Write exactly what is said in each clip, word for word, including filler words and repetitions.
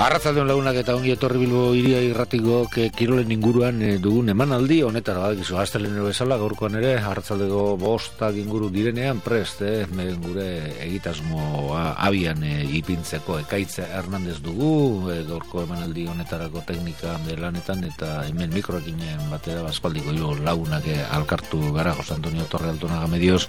Arratzaldeon lagunak eta ongi etorri Bilbo Hiria Irratiko kirolen inguruan e, dugun emanaldi honetara badakizu astelehenero bezala gaurkoan ere arratzaldeko bostak inguru direnean prest eh, gure egitasmoa abian e, ipintzeko Ekaitz Hernandez dugu e, gaurko emanaldi honetarako teknika lanetan eta hemen mikroekin batera aspaldiko hiru lagunak e, alkartu gara Jose Antonio Torre Altonaga Medios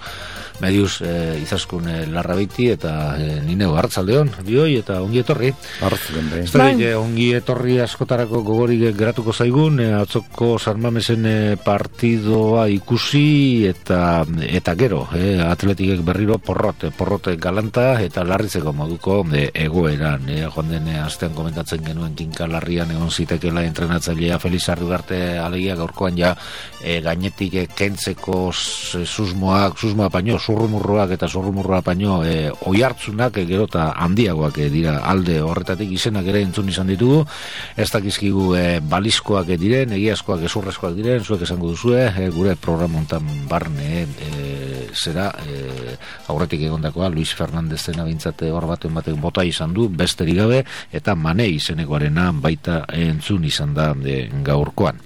Medios e, Izaskun e, Larrabiti eta e, Nineu arratzaldeon bioi eta ongi etorri arratzaldeon. Ez da, bai. Ongi etorri askotarako gogorik geratuko zaigun, e, atzoko San Mamesen e, partidoa ikusi eta eta gero, e, Atletikek berriro porrot, porrot galanta eta larritzeko moduko e, egoeran. E, joan den astean komentatzen genuen kinka larrian egon zitekela entrenatzailea Feliz Arriugarte alegia gaurkoan ja e, gainetik e, kentzeko susmoak, susmoa paino, zurrumurroak eta zurrumurroa paino e, oihartzunak e, gero eta handiagoak e, dira alde horretatik izenak ere entzun izan ditugu, ez dakizkigu e, balizkoak diren, egiazkoak ezurrezkoak diren, zuek esango duzue, e, gure programontan barne e, zera e, aurretik egondakoa Luis Fernandezen abintzate hor baten batek bota izan du, besterik gabe, eta Mane izenekoarena baita entzun izan da e, gaurkoan.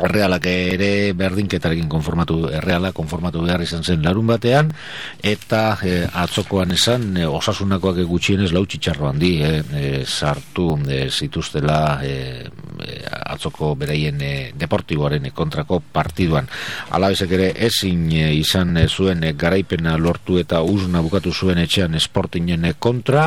Errealak ere berdinketarekin konformatu, erreala konformatu behar izan zen larun batean, eta e, atzokoan esan e, osasunakoak gutxienez lau txitxarro handi e, e, sartu e, zituztela e, e, atzoko beraien e, deportiboaren kontrako partiduan. Alabezek ere ezin e, izan e, zuen e, garaipena lortu eta uzna bukatu zuen etxean Sportingen kontra,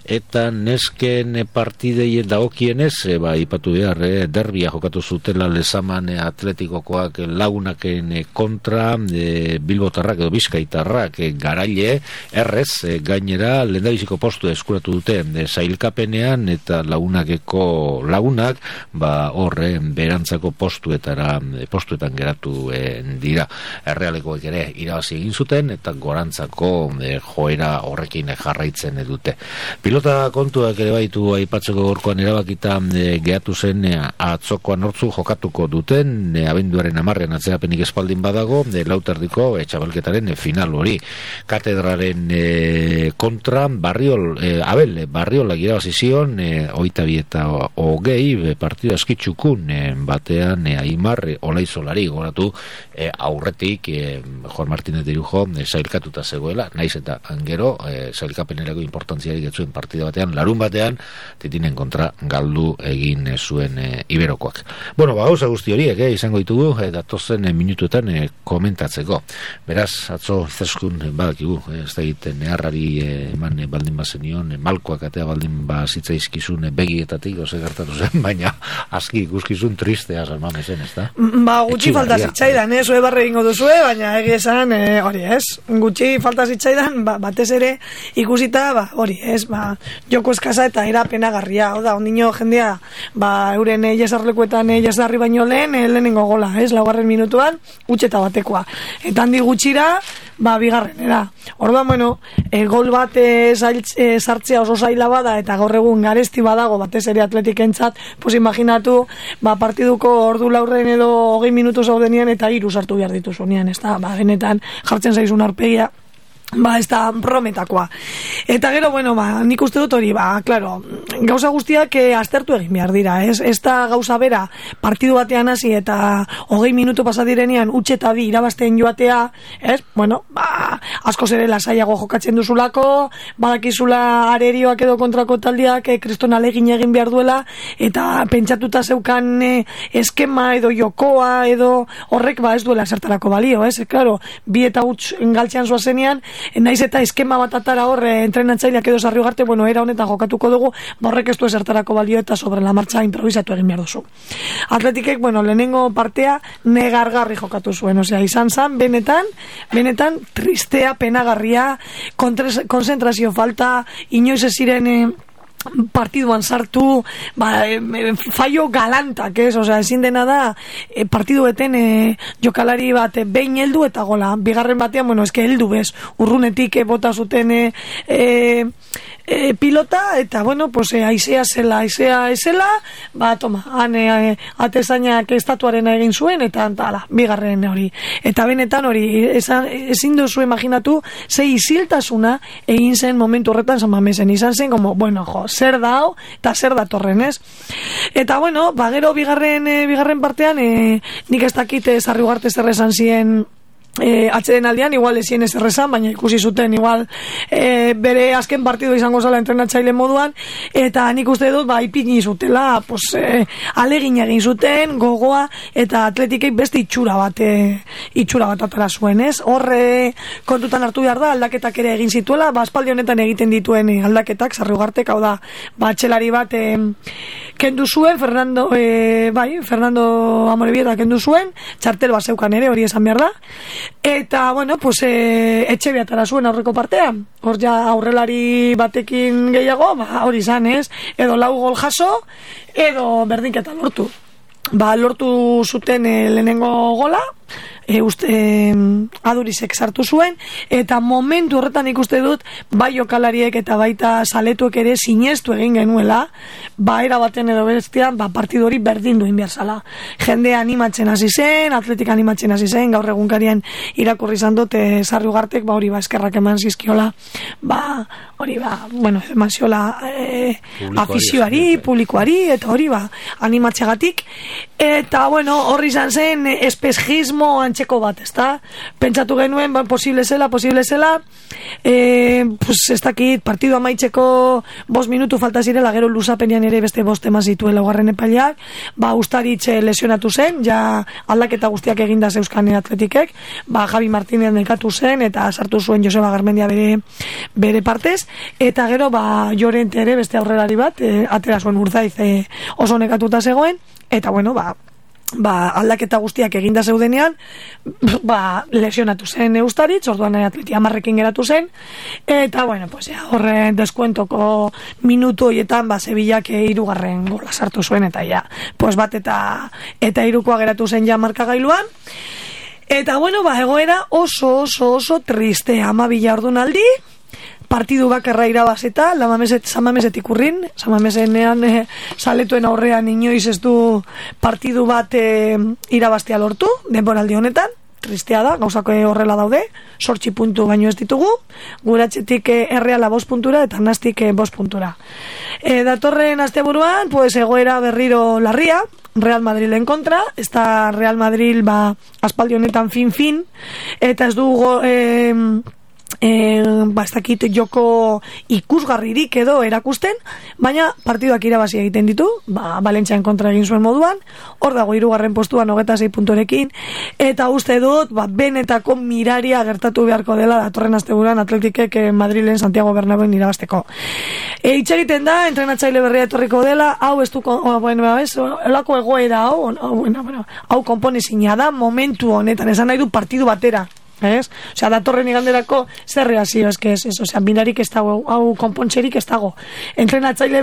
eta nesken partidei dagokienez, e, ba, ipatu behar, e, derbia jokatu zutela Lezaman Atletikokoak lagunaken kontra e, Bilbotarrak edo Bizkaitarrak e, garaile errez e, gainera lehendabiziko postu eskuratu dute e, sailkapenean eta lagunakeko lagunak ba horre berantzako postuetara e, postuetan geratu e, dira. Errealekoek ere irabazi egin zuten eta gorantzako e, joera horrekin jarraitzen dute. Pilota kontuak ere baitu aipatzeko gorkoan erabakita e, gehatu zen e, atzokoan hortzu jokatuko dute E, abenduaren amarrean atzerapenik espaldin badago e, lauterdiko e, txabalketaren e, final hori katedraren e, kontra Barriol, e, Abel e, Barriolak irabazi zion e, oita bi eta hogei e, partida eskitxukun e, batean e, Aimar e, Olaizolari goratu e, aurretik e, Juan Martínez de Irujo e, zailkatuta zegoela, naiz eta angero e, zailkapenerako importantziarik etzuen partida batean, larun batean Titinen kontra galdu egin e, zuen e, Iberokoak. Bueno, ba, gauza guzti horiek eh, izango ditugu eh, datozen eh, minutuetan eh, komentatzeko. Beraz, atzo zeskun eh, badakigu, eh, ez da egiten neharrari eh, eman eh, baldin bazenion, eh, malkoak atea baldin bazitzaizkizun eh, begietatik, ose gertatu zen, baina aski ikuskizun tristea salmame zen, ez da? Ba, gutxi falta zitzaidan, eh, zue barre ingo duzue, baina egia esan, eh, hori ez, gutxi falta zitzaidan, ba, batez ere ikusita, ba, hori ez, ba, joko eskasa eta era penagarria, hau da, ondino jendea, ba, euren eh, jesarlekuetan eh, jesarri baino lehen, lehenengo gola, ez, laugarren minutuan, utxeta batekoa. Eta handi gutxira, ba, bigarren, era. Orduan, bueno, e, gol bat e, zail, e, sartzea oso zaila bada, eta gaur egun garesti badago, batez ere Atletikentzat, pues imaginatu, ba, partiduko ordu laurren edo hogei minutu zaudenian, eta hiru sartu behar dituzunean, ez da, ba, benetan jartzen zaizun arpegia, ba, ez da prometakoa. Eta gero, bueno, ba, nik uste dut hori, ba, claro, gauza guztiak eh, aztertu egin behar dira, ez? Ez da gauza bera partidu batean hasi eta hogei minutu pasadirenean utxe eta bi irabazten joatea, ez? Bueno, ba, asko zere lasaiago jokatzen duzulako, badakizula arerioak edo kontrako taldiak eh, kriston alegin egin behar duela, eta pentsatuta zeukan eh, eskema edo jokoa edo horrek, ba, ez duela zertarako balio, ez? Claro, bi eta huts galtzean zoazenean, naiz eta eskema bat atara horre entrenatzaileak edo Sarriugarte, bueno, era honetan jokatuko dugu, borrek ez du ezertarako balio eta sobre la marcha improvisatu egin behar duzu. Atletikek, bueno, lehenengo partea negargarri jokatu zuen, osea, izan zan, benetan, benetan tristea, penagarria, konzentrazio falta, inoiz ez ziren eh, partiduan sartu, ba, e, fallo galantak, ez? Osea, ezin dena da e, partidueten e, jokalari bat e, behin heldu eta gola. Bigarren batean, bueno, eske heldu bez, urrunetik e, bota zuten e, e, e, pilota, eta, bueno, pues, e, aizea zela, aizea ezela, ba, toma, han e, atezainak estatuaren egin zuen, eta, ala, bigarren hori. Eta benetan hori, ezin duzu imaginatu, ze isiltasuna egin zen momentu horretan San Mamesen, izan zen, como, bueno, jo, zer da hau, eta zer datorren, ez? Eta, bueno, ba, gero bigarren, e, bigarren partean, e, nik ez dakit Sarri Ugarte zer esan zien E, atxeden aldean, igual ezien ez errezan, baina ikusi zuten igual e, bere azken partido izango zala entrenatzaile moduan, eta nik uste dut ba, ipini zutela, pues, e, alegin egin zuten, gogoa, eta atletikei beste itxura bat e, itxura bat atara zuen, ez? Horre kontutan hartu behar da, aldaketak ere egin zituela, ba, aspaldi honetan egiten dituen e, aldaketak, Sarri Ugartek, hau da, ba, atxelari bat e, kendu zuen, Fernando, e, bai, Fernando Amorebieta kendu zuen, txartel bat zeukan ere, hori esan behar da, eta, bueno, pues, e, etxe behatara zuen aurreko partean, hor ja aurrelari batekin gehiago, ba, hori izan, ez, edo lau gol jaso, edo berdinketa lortu. Ba, lortu zuten e, lehenengo gola, e, uste, e, adurizek sartu zuen, eta momentu horretan ikuste dut, bai jokalariek eta baita zaletuek ere sinestu egin genuela, ba, era baten edo bestian, ba, partidu hori berdin duen behar zala. Jende animatzen hasi zen, atletik animatzen hasi zen, gaur egunkarien irakurri izan dut, e, Sarri Ugartek, ba, hori, ba, eskerrak eman zizkiola, ba, hori, ba, bueno, eman ziola e, afizioari, publikoari, eta hori, ba, animatzegatik, eta, bueno, horri izan zen, espejismo antxeko bat, ezta? Pentsatu genuen, ba, posible zela, posible zela, e, pues, ez dakit, partidu amaitzeko bost minutu falta zirela, gero luzapenean ere beste bost eman zituela ugarren epaileak, ba, Ustaritxe lesionatu zen, ja aldaketa guztiak eginda zeuzkan atletikek, ba, Javi Martínez nekatu zen, eta sartu zuen Joseba Garmendia bere, bere partez, eta gero, ba, Llorente ere beste aurrelari bat, e, atera zuen Urzaiz e, oso nekatuta zegoen, eta, bueno, ba, ba, aldaketa guztiak eginda zeudenean, ba, lesionatu zen Ustaritz, orduan atleti amarrekin geratu zen, eta, bueno, pues, ja, horren deskuentoko minutu hoietan, ba, Sevillak hirugarren gola sartu zuen, eta, ja, pues, bat eta, eta hirukoa geratu zen ja markagailuan, eta, bueno, ba, egoera oso, oso, oso triste, amabila ordunaldi, partidu bakarra irabazeta, Samamesetik urrin, Samamesenean e, saletuen aurrean inoiz ez du partidu bat e, irabaztea lortu, denboraldi honetan, tristea da, gauzako horrela daude, sortzi puntu baino ez ditugu, guratxetik e, erreala bost puntura, eta nastik e, bost puntura. E, datorren asteburuan, pues, egoera berriro larria, Real Madrilen kontra, ez da Real Madrid ba, aspaldi honetan fin-fin, eta ez dugu... E, E, ba, ez dakit joko ikusgarririk edo erakusten, baina partiduak irabazi egiten ditu, ba, Valentzian kontra egin zuen moduan, hor dago hirugarren postuan hogeita sei puntorekin, eta uste dut, ba, benetako miraria gertatu beharko dela datorren asteburuan Atletikek eh, Madrilen Santiago Bernabéun irabazteko. E, itxe egiten da, entrenatzaile berria etorriko dela, hau ez du, oh, bueno, ez, elako egoera hau, oh, bueno, bueno, hau konponezina da, momentu honetan, esan nahi du partidu batera. ¿Es? O sea, datorren iganderako zer reazio, es que es eso, o sea, binarik ez dago, hau konpontxerik ez dago. Entrenatzaile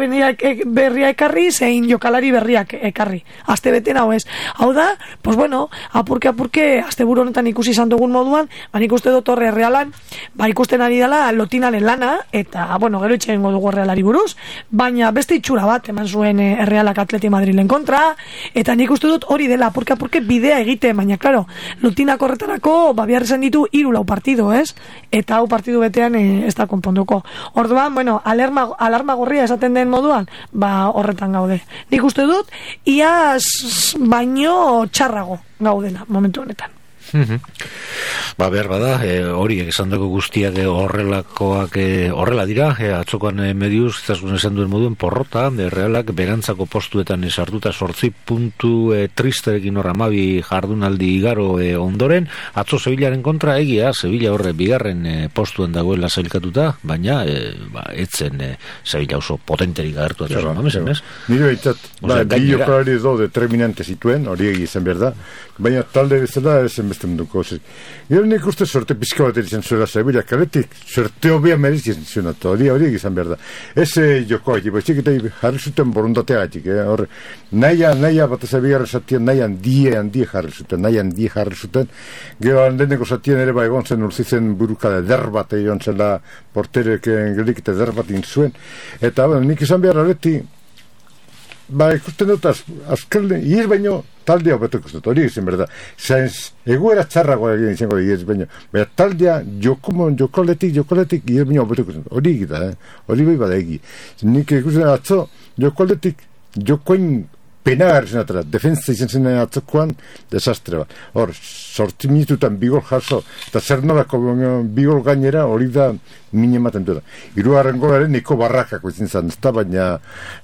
berria ekarri, zein jokalari berriak ekarri. Aste beten hau ez. Hau da, pues bueno, apurke apurke, aste buru honetan ikusi izan dugun moduan, ban ikuste dut horre realan, ba ikusten ari dela lotinaren lana, eta, bueno, gero itxeen dugu realari buruz, baina beste itxura bat, eman zuen Realak Atleti Madrilen kontra, eta nik uste dut hori dela, apurke apurke bidea egite, baina, claro, lotinak horretarako, ba, biharrezan ditu hiru lau partido, ez? Eta hau partidu betean e, ez da konponduko. Orduan, bueno, alarma, alarma gorria esaten den moduan, ba, horretan gaude. Nik uste dut, iaz baino txarrago gaudela momentu honetan. Ba, behar bada, e, horiek esan dago guztiak e, horrelakoak e, horrela dira, e, atzokoan e, mediuz, zazkun esan duen moduen porrota, e, Realak berantzako postuetan esartuta sortzi puntu e, tristerekin horra amabi jardunaldi igaro e, ondoren, atzo Sevillaren kontra egia, Sevilla horre bigarren e, postuen dagoela zailkatuta, baina e, ba, etzen e, Sevilla oso potenterik agertu atzo zan, mamezen, ez? Nire baitzat, ba, bi jokalari edo determinante zituen, hori egizan behar da, baina talde bezala, ezen beste ikusten duko. Gero nik uste sorte pizka bat eritzen zuela Sevilla kaletik, sorte hobea merezitzen zuen, hori hori egizan behar da. Ez joko haitik, baizik eta jarri zuten borundatea haitik, eh? Hor, naia, naia bat ez abigarra zatien, naia handie, handie jarri zuten, naia handie jarri zuten, gero handeneko zatien ere ba egon zen urzitzen buruka eder bat egon zela porterek gelik eta eder bat inzuen, eta bueno, nik izan behar areti, ba, ikusten dut, az, azkelde, iez baino, taldea hobeto ikusten dut, hori egiten berda. Zainz, egoera txarragoa egin izango iez baino. Baina taldea, joko, jokoletik, jokoletik, iez baino hobeto ikusten dut. Hori egita, eh? Hori bai bada egi. Nik ikusten dut, atzo, jokoletik, jokoen penagarri zenatera. Defensa izan zen atzokoan, desastre bat. Hor, sortzi minututan bigol jaso, eta zer nolako bigol gainera, hori da mine ematen duela. Hirugarren golaren niko barrakako izin zen, ez da, baina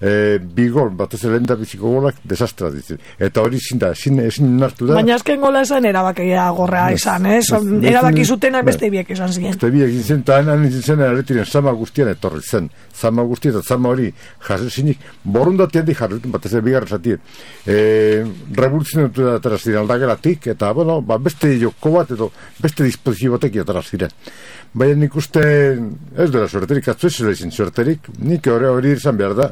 e, bigol, batez lehen da biziko golak, desastra ditzen. Eta hori zin da, ezin, ezin nartu da. Baina azken gola esan erabakia gorrea izan, eh? Erabaki zutenak beste biek izan ziren. Beste biek izan zen, eta hain izin zen, erretiren zama guztian etorri zen. Zama guztian, eta zama hori jasezinik, borundatean di jarretun, batez bigarra zatien. E, revoluzionatu da atara ziren aldageratik, eta, bueno, ba, beste joko bat, edo beste disposizio batek atara ziren. Baina nik uste, ez dela suerterik, atzu ez izin suerterik, nik hori hori izan behar da.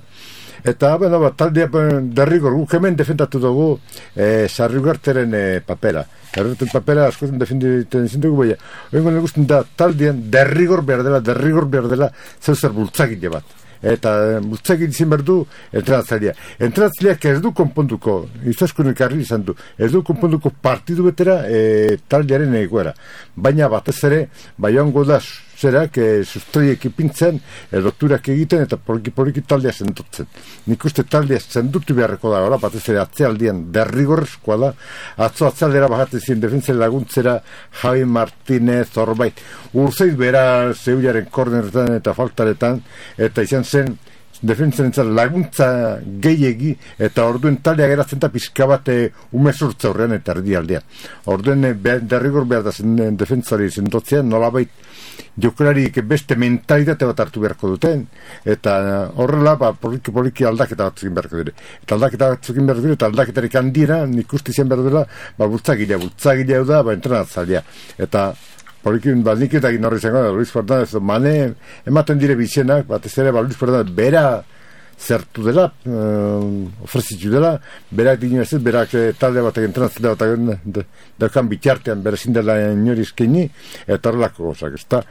Eta, bueno, ba, taldea derrigor, guk hemen defendatu dugu e, Sarriugarteren e, papera. Sarriugarteren papera askotan defenditen izin dugu, baina, hori nik uste da taldean derrigor behar dela, derrigor behar dela, zeu zer bultzakile bat. Eta bultzakile izin behar du entrenatzailea. Entrenatzaileak ez du konponduko, izaskonek harri izan du, ez du konponduko partidu betera e, taldearen egoera. Baina batez ere, bai hongo da zerak, e, sustraiek ipintzen, e, dokturak egiten, eta poliki-poliki taldea zendutzen. Nik uste taldea zendutu beharreko da, ora, batez ere atzealdian derrigorrezkoa da, atzo atzealdera bajatzen ziren defentzen laguntzera Javi Martínez, Zorbait, urzeit bera Zeularen korneretan eta faltaretan, eta izan zen defentzen entzat laguntza gehiegi, eta orduen taldea geratzen da pizka bat umezurtza horrean eta erdialdean. Orduen derrigor behar da zen defentzari zendotzean, nolabait jokalariek beste mentalitate bat hartu beharko duten, eta horrela ba, poliki, poliki aldaketa bat zukin beharko dire. Eta aldaketa bat zukin beharko dire, eta aldaketarik handiera, nik uste izan behar dela, ba, bultzagilea, bultzagilea da, ba, entrenatzailea. Eta polikin, ba, nik eta gin horri izango da, Luis Fernandez, mane, ematen dire bizenak, bat ez ere, ba, Luis Fernandez, bera zertu dela, uh, ofrezitu dela, berak dino ez, berak eh, talde batek entrenatzea batak daukan bitartean bere zindela inori izkeni, eta horrelako gozak, ez da.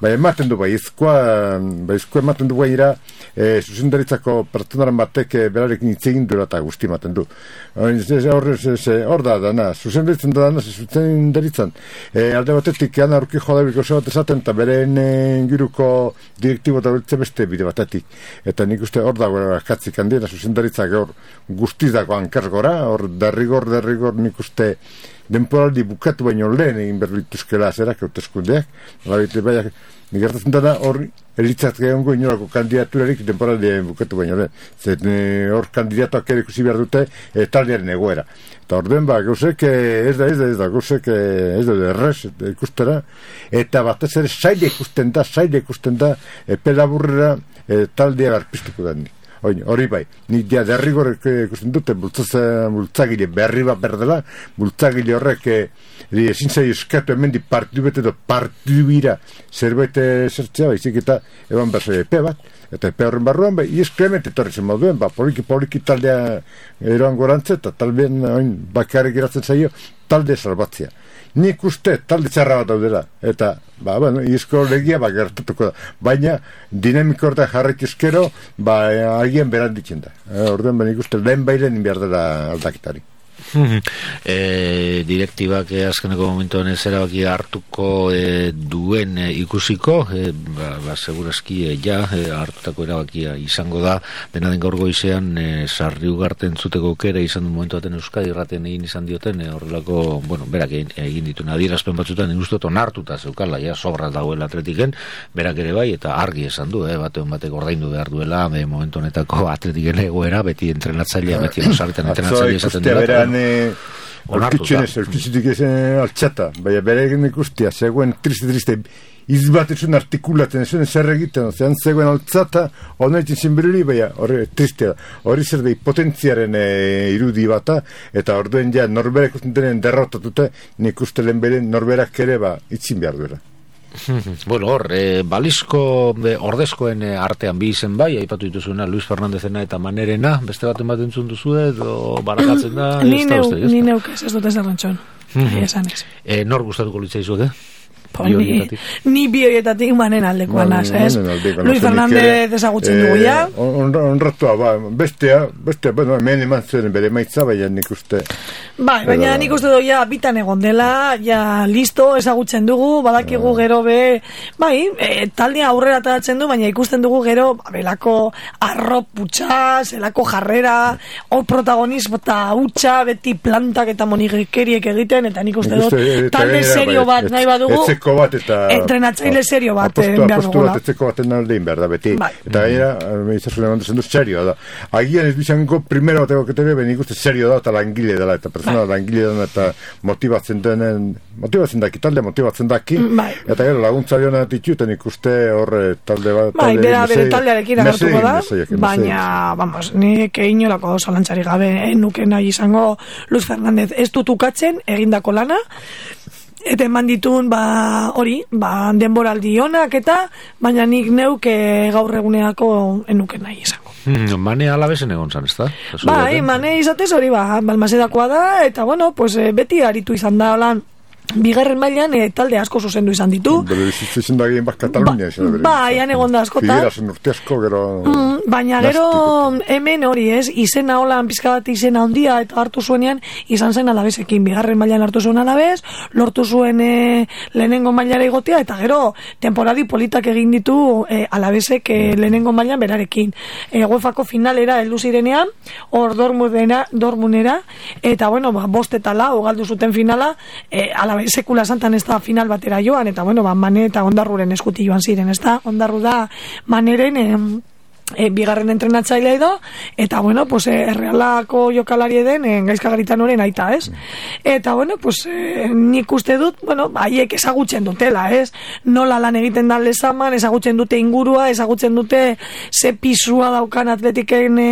Ba, ematen du, ba, izkoa, ba, izkoa ematen du gaira, e, zuzendaritzako pertsonaren batek e, berarekin hitz egin duela eta guzti ematen du. Hor da, dana, zuzendaritzen da dana, zuzendaritzen. E, alde batetik, ana aurki jodabiko oso bat esaten, eta beren e, inguruko direktibo eta beltze beste bide batetik. Eta nik uste hor dago katzik handiena, zuzendaritzak hor guztizako hankargora, hor derrigor, derrigor nik uste denporaldi bukatu baino lehen egin berlituzkela zerak hauteskundeak, nolabait baiak nik gertatzen dara hor elitzat gehiongo inolako kandidaturarik denporaldi bukatu baino lehen. Zer hor kandidatuak ere ikusi behar dute e, taldearen egoera. Eta hor den ba, gauzek ez da, ez da, ez da, gauzek ez da, errez ikustera, eta batez ere zaila ikusten da, zaila ikusten da, epe laburrera e, taldea garpiztuko da nik. Hori bai, nik dia derrigor ikusten dute bultzagile berri bat berdela, bultzagile horrek ezin zai eskatu hemen di partidu bete edo partidu bira zerbait zertzea, baizik eta eban berzai epe bat, eta epe horren barruan, bai, ies Clement etorri zen moduen, ba, poliki-poliki taldea eroan gorantze, eta taldean bakarrik geratzen zaio, talde salbatzea. Nik uste talde txarra bat daudela, eta, ba, bueno, izko legia, ba, gertatuko da. Baina, dinamiko horretan jarraituzkero, ba, agien beran ditzen da. E, Orduan, ba, nik uste lehen bailen behar dela aldaketari. e, direktibak e, azkeneko momentuan ez erabaki hartuko e, duen e, ikusiko e, ba, ba segurazki e, ja e, hartutako erabakia izango da dena den gaur goizean e, Sarriugarten zuteko aukera izan du momentu baten Euskadi Irraten egin izan dioten e, horrelako, bueno, berak egin, egin dituen adierazpen batzutan inustot onartuta zeukala, ja sobra dagoela Atletiken, berak ere bai, eta argi esan du, eh, batean batek ordaindu behar duela e, momentu honetako Atletiken egoera, beti entrenatzailea, beti osarretan entrenatzailea esaten dela. Orkitxunez, orkitxutik ezen altxata, baina bere egin ikustia, zegoen triste-triste izbatetzen artikulatzen, ezen zer egiten, zean zegoen altzata, hona egin zinberuri, baina hori tristea, hori zer da potentziaren e, irudi bata, eta orduen ja norberak usten denen derrotatute, nik uste lehen beren norberak ere ba, itzin behar duela. Bueno, hor, e, balizko e, ordezkoen e, artean bi izen bai, aipatu dituzuna Luis Fernandezena eta Manerena, beste baten bat entzun duzu edo barakatzen da? Ni neu, ni neuk ez dut ez errantxon. Esan ez. E, nor gustatuko litzaizuke? Ni, ni bi horietatik manen aldekoa naz, ez? Luis Fernandez ezagutzen dugu ya. Onratua, ba, bestea, bestea, bueno, hemen eman zuen bere maitza, baina nik uste... Bai, baina nik uste du ja bitan egon dela, ja listo ezagutzen dugu, badakigu gero be, bai, e, taldea aurrera atatzen du, baina ikusten dugu gero, belako arrop putxa, zelako jarrera, hor protagonista hutsa, beti plantak eta monigekeriek egiten, eta nik uste dut, talde serio bat nahi badugu, bat eta entrenatzaile serio bat apostu, apostu bat etzeko baten aldein behar da beti bai. Eta gainera izazule mandazen du serioa da agian ez bizango primero bateko ketebe ben ikuste serio da eta langile dela eta persona bai. Langile dela eta motibatzen denen motibatzen daki, talde motibatzen daki bai. Eta gero laguntzari hona dituten ikuste horre talde bat bai, bera bere taldearekin agertuko da baina, vamos, nik inolako zalantzari gabe nuke nahi izango Luis Fernandez ez dutukatzen egindako lana eta eman ditun, ba, hori, ba, denboraldi honak eta, baina nik neuke gaur eguneako enuke nahi izango. Hmm, Mane alabesen egon zan, ez da? Bai, Mane izatez hori, ba, balmasedakoa da, eta, bueno, pues, beti aritu izan da, holan, bigarren mailan e, talde asko zuzendu izan ditu. Bere bizitzen da gehien bat Katalunia. Ba, ba ean egon da askotan. Figuerasen urte asko, gero... Mm, baina gero hemen hori ez, izena holan pizka bat izena handia eta hartu zuenean izan zen alabesekin. Bigarren mailan hartu zuen alabez, lortu zuen e, lehenengo mailara igotea, eta gero temporadi politak egin ditu e, alabezek e, lehenengo mailan berarekin. E, UEFako finalera heldu zirenean, hor dormunera, dormunera, eta bueno, ba, bost eta lau galdu zuten finala, e, sekula santan ez da final batera joan, eta bueno, ba, Mane eta Ondarruren eskuti joan ziren, ez da? Ondarru da Maneren eh, e, bigarren entrenatzailea edo, eta bueno, pues e, errealako jokalari den e, Gaizka Garitanoren aita, ez? Eta bueno, pues e, nik uste dut, bueno, haiek ezagutzen dutela, ez? Nola lan egiten da lezaman, ezagutzen dute ingurua, ezagutzen dute ze pisua daukan atletiken e,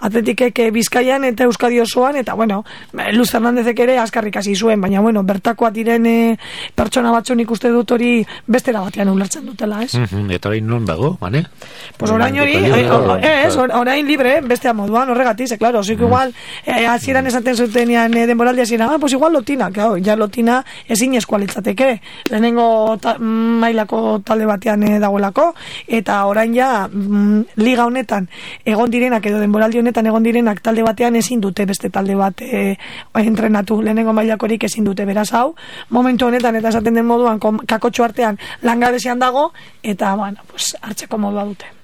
atletikek e, Bizkaian eta Euskadi osoan, eta bueno, Luis Fernandezek ere askarrik hasi zuen, baina bueno, bertakoa diren e, pertsona batzu nik uste dut hori bestera batean ulertzen dutela, ez? Mm-hmm. Eta orain non dago, Mane? Pues orain hori, ez, orain libre, bestea moduan, horregatik, ze, claro, zik igual, hasieran esaten zutenean denboraldia ziren, ah, pues igual lotina, claro, ja lotina ezin eskualitzateke, lehenengo ta, mailako talde batean e, dagoelako, eta orain ja, mm, liga honetan, egon direnak, edo denboraldi honetan egon direnak talde batean ezin dute beste talde bat e, entrenatu, lehenengo mailakorik ezin dute, beraz hau, momentu honetan, eta esaten den moduan, kakotxo artean langabezian dago, eta, bueno, pues, hartzeko modua dute.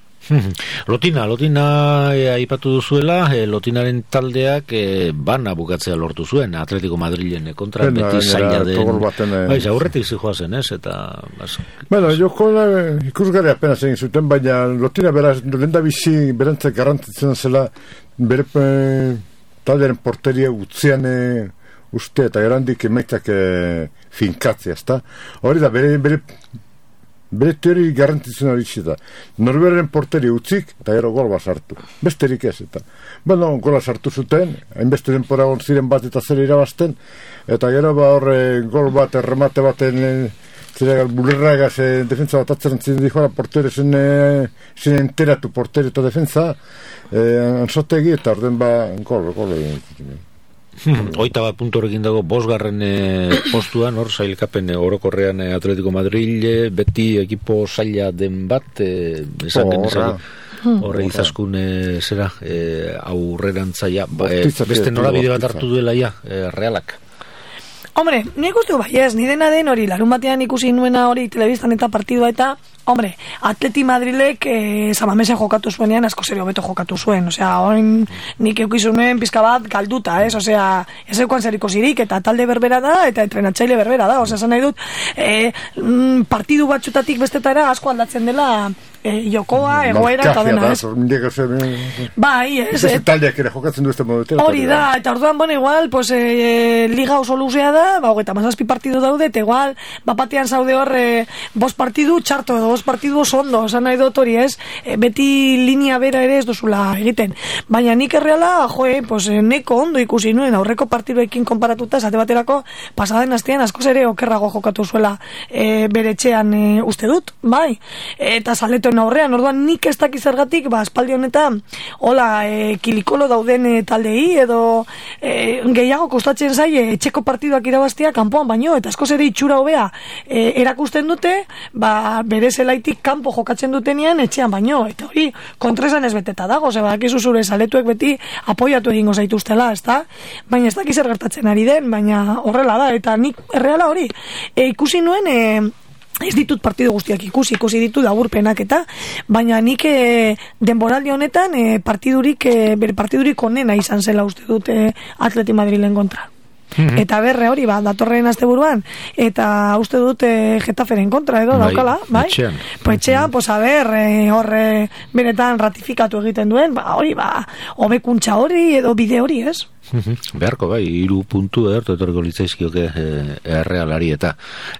Lotina, Lotina e, aipatu duzuela, e, Lotinaren taldeak e, bana bukatzea lortu zuen Atletico Madrilen kontra ben, beti zaila den bai, aurretik zijoazen, ez? Eta bas, bueno, joko ikusgarri apenas egin zuten, baina Lotina beraz, lenda bizi berantzak garrantitzen zela bere e, taldearen porteria utzean e, uste eta gerandik emaitzak e, finkatzea, ezta? Hori da, bere, bere bere teori garrantitzen hori da. Norberen porteri utzik, eta gero gol bat sartu. Besterik ez, eta. Bueno, gola sartu zuten, hainbeste denpora on ziren bat eta zer irabazten, eta gero ba horre gol bat, erremate baten, zera bulirragaz, e, defensa bat atzeren ziren dijoa, porteri zen, e, zen enteratu porteri eta defensa, e, ansotegi, eta orden ba, gol, gol, gol. Oita bat puntu horrekin dago bosgarren e, postuan, hor sailkapen e, orokorrean e, Atletico Madrid, e, beti ekipo zaila den bat, e, esan oh, genezak horre izaskun e, zera e, aurrerantzaia ba, e, beste norabide bat hartu duela ja, e, realak. Hombre, nik uste bai ez, ni dena den hori, larun batean ikusi nuena hori telebistan eta partidua eta, hombre, Atleti Madrilek eh, Samamesen jokatu zuenean asko serio beto jokatu zuen, osea, orain nik eukizunuen pizka bat galduta, ez, osea, ez eukan zeriko zirik, eta talde berbera da, eta entrenatzaile berbera da, osea, esan nahi dut, eh, partidu batxutatik bestetara asko aldatzen dela e, jokoa, egoera eta dena, ez? Bai, ez. Ez taldeak ere jokatzen du este modutera. Hori da, eta orduan, bueno, igual, pues, e, liga oso luzea da, ba, hogeita mazazpi partidu daude, eta igual, bapatean zaude hor, e, bost partidu txarto edo, bost partidu oso ondo, esan nahi dut hori, ez? E, beti linea bera ere ez duzula egiten. Baina nik erreala, joe, pues, neko ondo ikusi nuen, aurreko partiduekin konparatuta, esate baterako, pasaden astean askoz ere okerrago jokatu zuela e, bere etxean e, uste dut, bai, eta zaletoen aurrean, orduan nik ez dakiz zergatik, ba, espaldi honetan, hola, e, kilikolo dauden e, taldei, edo e, gehiago kostatzen zaie etxeko partiduak irabaztia kanpoan baino, eta askoz ere itxura hobea e, erakusten dute, ba, bere zelaitik kanpo jokatzen dutenean etxean baino, eta hori kontresan ez beteta dago, ze badakizu zure zaletuek beti apoiatu egingo zaituztela, ezta? Baina ez dakiz zer gertatzen ari den, baina horrela da, eta nik erreala hori e, ikusi nuen e, ez ditut partidu guztiak ikusi, ikusi ditu laburpenak eta, baina nik e, denboraldi honetan e, partidurik, e, bere partidurik onena izan zela uste dut e, Atleti Madrilen kontra. Mm-hmm. Eta berre hori, ba, datorren asteburuan, eta uste dut e, Getaferen kontra edo bai, daukala, bai? Etxean. Po etxean, mm-hmm. pues a ber, e, horre benetan ratifikatu egiten duen, ba, hori, ba, hobekuntza hori edo bide hori, ez? Beharko bai, hiru puntu edertu etorriko litzaizkioke eh, errealari eta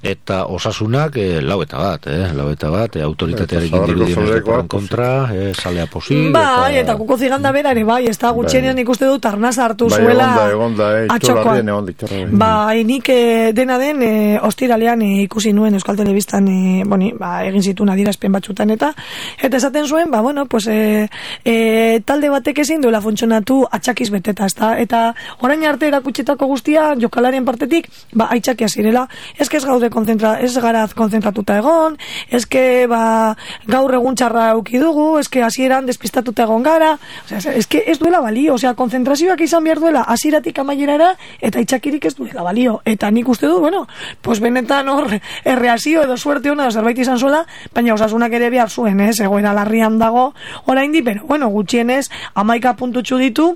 eta osasunak eh, lau eta bat, eh, lau eta bat, eh, autoritatearekin dirudien kontra, eh, salea posi. Bai, eta, eta kuko ziganda berare, bai, ez da gutxenean bai. Ikuste dut arnaz hartu bai, zuela egonda, egonda, atxokoan. Bai, nik eh, dena den eh, ostiralean eh, ikusi nuen Euskal Telebistan eh, boni, ba, egin zituen adierazpen batzutan eta eta esaten zuen, ba, bueno, pues eh, eh, talde batek ezin duela funtzionatu atxakiz beteta, ez da, eta orain arte erakutsitako guztia jokalarien partetik, ba, aitzakia zirela, eske ez gaude konzentra, ez garaz konzentratuta egon, eske ba, gaur egun txarra euki dugu, eske hasieran despistatuta egon gara, osea, eske ez duela balio, osea, konzentrazioak izan behar duela hasieratik amaierara, eta aitzakirik ez duela balio, eta nik uste du, bueno, pues benetan hor erreazio edo suerte ona zerbait izan zuela, baina osasunak ere behar zuen, ez, egoera larrian dago oraindik, pero bueno, gutxienez hamaika puntutxu ditu.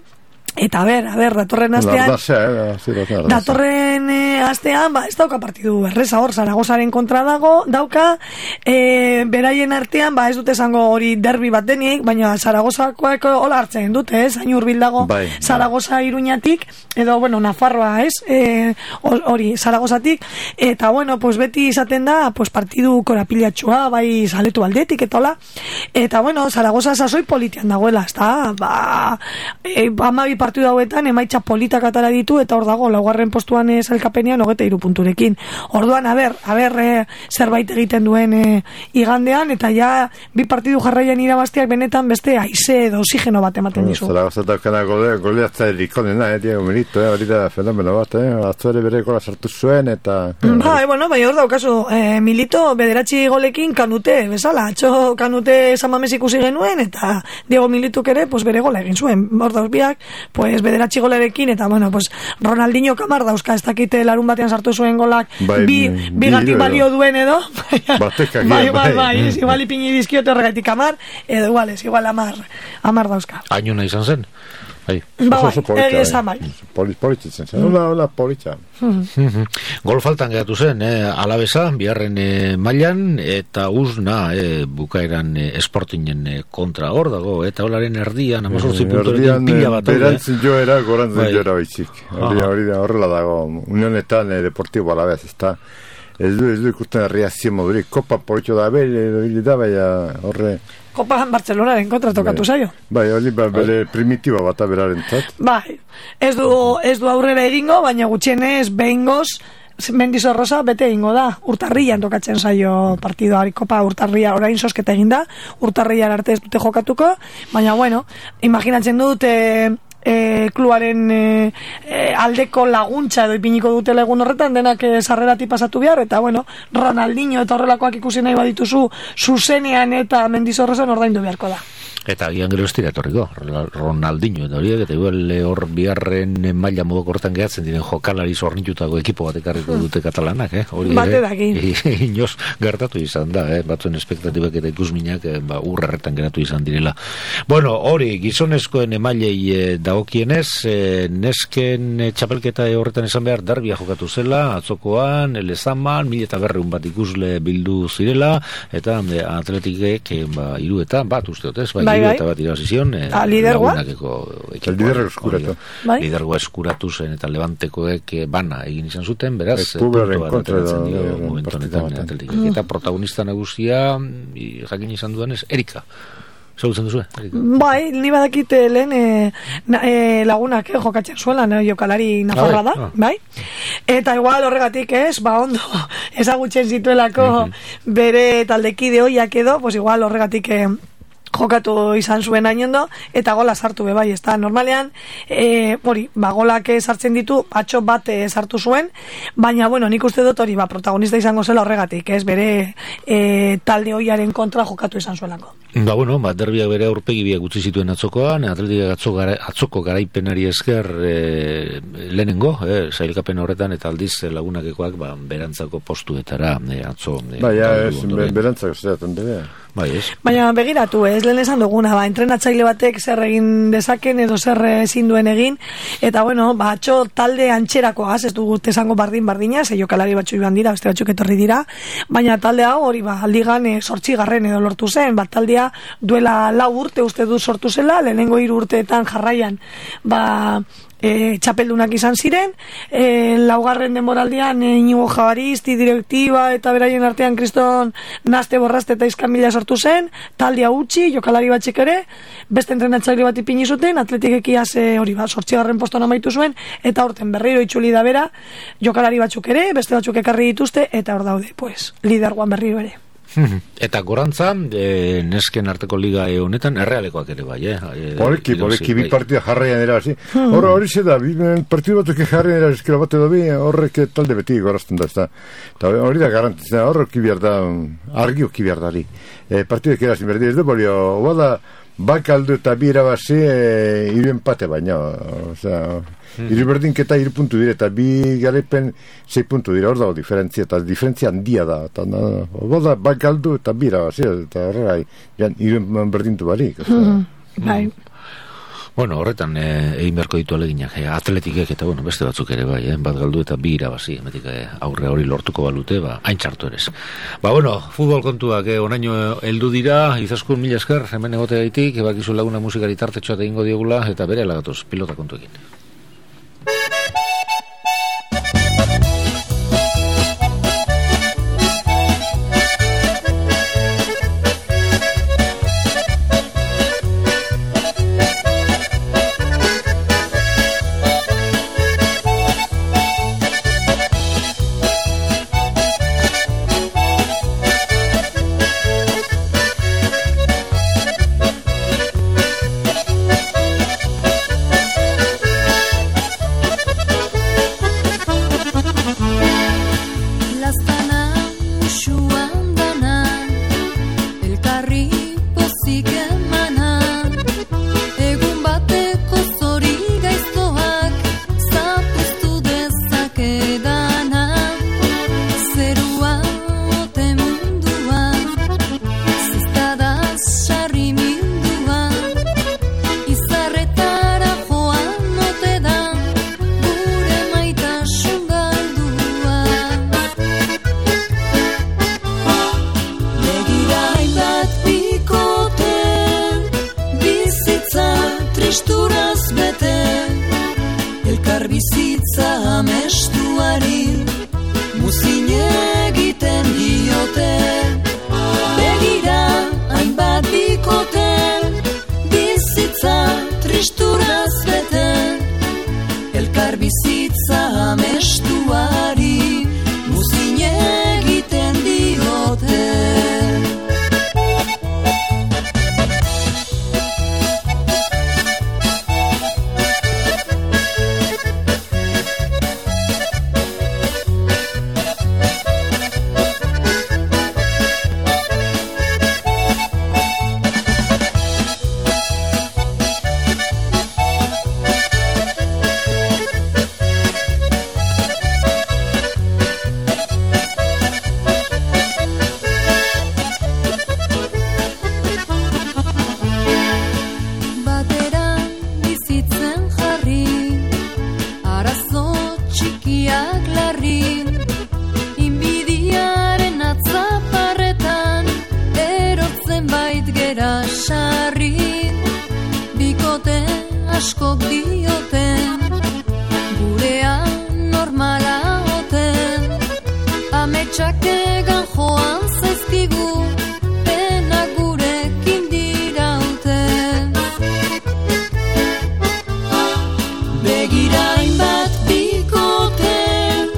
Eta a ber, a ber, datorren astean eh, datorren eh, astean ba, ez dauka partidu erreza hor, Zaragozaren kontra dago dauka, eh, beraien artean ba, ez dute esango hori derbi bat denik, baina Zaragozakoak hola hartzen dute, ez, hain hurbil dago bai, Zaragoza Iruñatik, edo bueno, Nafarroa, ez, eh, hori Zaragozatik, eta bueno, pues beti izaten da, pues partidu korapilatxua, bai zaletu aldetik, eta hola, eta bueno, Zaragoza sasoi politian dagoela, ez da, ba, e, amabi partidu hauetan emaitza politak atara ditu eta hor dago laugarren postuan ez elkapenean hogeita hiru punturekin. Orduan, a ber, a ber e, zerbait egiten duen e, igandean eta ja bi partidu jarraian irabazteak benetan beste haize edo oxigeno bat ematen dizu. Zaragoza kana goleatza erikonena, eh, Diego Milito, eh, hori da fenomeno bat, eh, atzore bere gola sartu zuen eta... Ba, e, bueno, bai hor daukazu, e, Milito bederatzi golekin kanute, bezala, atxo kanute Samamez ikusi genuen eta Diego Milituk ere, pues bere gola egin zuen, hor dauz biak, pues bederatzi golerekin eta bueno, pues Ronaldinho kamar dauzka, ez dakite larun batean sartu zuen golak bai, bi, bi gatik balio duen edo batek bai, bai, bai, ez igual ipini dizkiote horregatik kamar, edo igual ez, igual amar amar dauzka. Añuna izan zen? Bai. Ba, bai, egizan bai. Polititzen zen, hola, hola, politza. Gol faltan geratu zen, eh, Alabesa, biharren eh, mailan, eta uzna eh, bukaeran eh, Sportingen eh, kontra hor dago, eta holaren erdian, amazortzi puntorekin pila bat. Berantzen joera, gorantzen bai. Joera baitzik. Hori da, horrela dago, unionetan eh, Deportibo Alabez, ez da. Ez du, ez du ikusten reazio modurik, kopa politxo da, bele, da, baina horre... Kopa Barcelonaren kontra tokatu zaio. Bai, hori ba, bere primitiba bat aberaren zat. Bai, ez du, ez du aurrera egingo, baina gutxienez behingoz Mendizorroza bete egingo da. Urtarrian tokatzen zaio partidua, Kopa Urtarria orain sosketa eginda, Urtarrian arte ez dute jokatuko, baina bueno, imaginatzen dut e, e, kluaren e, e, aldeko laguntza edo ipiniko dutela egun horretan denak e, sarreratik pasatu behar, eta bueno, Ronaldinho eta horrelakoak ikusi nahi badituzu zuzenean eta Mendizorrozan ordaindu beharko da. Eta gian gero estira etorriko, Ronaldinho eta horiek, eta igual hor biharren maila modok hortan gehatzen diren jokalari zornitutako ekipo bat ekarriko dute katalanak, eh? Hori Bate daki. Inoz gertatu izan da, eh? Batzuen espektatibak eta ikusminak eh, ba, urrerretan geratu izan direla. Bueno, hori, gizonezkoen emailei eh, dagokienez, eh, nesken eh, txapelketa horretan esan behar darbia jokatu zela, atzokoan, elezaman, mil eta berreun bat ikusle bildu zirela, eta eh, atletikek eh, ba, iruetan, bat usteot, ez? Bai, Bai, bai. Eta bat irabazizion eh, lidergoa lidergo eskuratu bai? lidergoa eskuratu zen eta levantekoek eh, bana egin izan zuten, beraz Publiaren kontra momentu honetan atletikek. Eta protagonista nagusia i, jakin izan dudanez Erika Zautzen duzu, Erika? Bai, ni badakit lehen e, na, e, lagunak eh, jokatzen zuela, no, jokalari nafarra da, ah, bai? Eta igual horregatik ez, ba ondo ezagutzen zituelako mm-hmm. bere taldekide hoiak edo, pues igual horregatik eh, jokatu izan zuen hainondo, eta gola sartu be bai, ez da, normalean, e, hori, ba, golak sartzen ditu, atxo bat e, sartu zuen, baina, bueno, nik uste dut hori, ba, protagonista izango zela horregatik, ez, bere e, talde hoiaren kontra jokatu izan zuelako. Ba, bueno, ba, derbiak bere aurpegi biak utzi zituen atzokoan, atletikak atzo gara, atzoko garaipenari esker e, lehenengo, e, sailkapen horretan, eta aldiz lagunakekoak, ba, berantzako postuetara e, atzo. E, ba, ja, ez, berantzako zeraten dira. Bai, ez. Baina begiratu, ez lehen esan duguna, ba, entrenatzaile batek zer egin dezaken edo zer ezin duen egin, eta bueno, ba, atxo talde antxerako az, ez dugu esango bardin bardina, ze jokalari batzu iban dira, beste batzuk etorri dira, baina talde hau hori, ba, aldigan e, sortzigarren edo lortu zen, ba, taldea duela lau urte uste du sortu zela, lehenengo hiru urteetan jarraian, ba, E, txapeldunak izan ziren, e, laugarren denboraldian e, Inigo Jabaristi, direktiba eta beraien artean kriston naste borraste eta izkan mila sortu zen, taldea utzi, jokalari batxek ere, beste entrenatzaile bat ipini zuten, atletikek iaz e, hori bat, sortzigarren poston amaitu zuen, eta horten berriro itzuli da bera, jokalari batzuk ere, beste batzuk ekarri dituzte, eta hor daude, pues, lidergoan berriro ere. Eta gorantza, e, nesken arteko liga e, honetan, errealekoak ere bai, eh? Poleki, poleki, bi partida jarraian erazi. Horra hori ze da, partidu batzuk jarraian erazizkera bat edo bi, horrek talde beti gorazten da, ez da. Hori da garantitzen, horrek kibiar da, argio kibiar dari. E, partidek erazin berdi ez da, bolio, bada, bakaldu eta bi irabazi, e, iru empate baina, osea, hmm. iru berdinketa iru puntu dire, eta bi garaipen sei puntu dira, hor dago diferentzia, eta diferentzia handia da, eta bada, bakaldu eta bi irabazi, eta horrela, iru berdintu barik. Hmm. Bai. Bueno, horretan eh, egin beharko ditu aleginak, eh, atletikek eta bueno, beste batzuk ere bai, eh, bat galdu eta bi irabazi, emetik eh, aurre hori lortuko balute, ba, hain txartu erez. Ba, bueno, futbol kontuak, eh, onaino heldu dira, izaskun mila esker, hemen egote gaitik, ebakizu laguna musikari tartetxoa egingo diogula, eta bere lagatoz, pilota kontuekin. askok dioten, gurean normala oten, ametsak egan joan zaizkigu, pena gurekin dirauten. Begirain bat bikoten,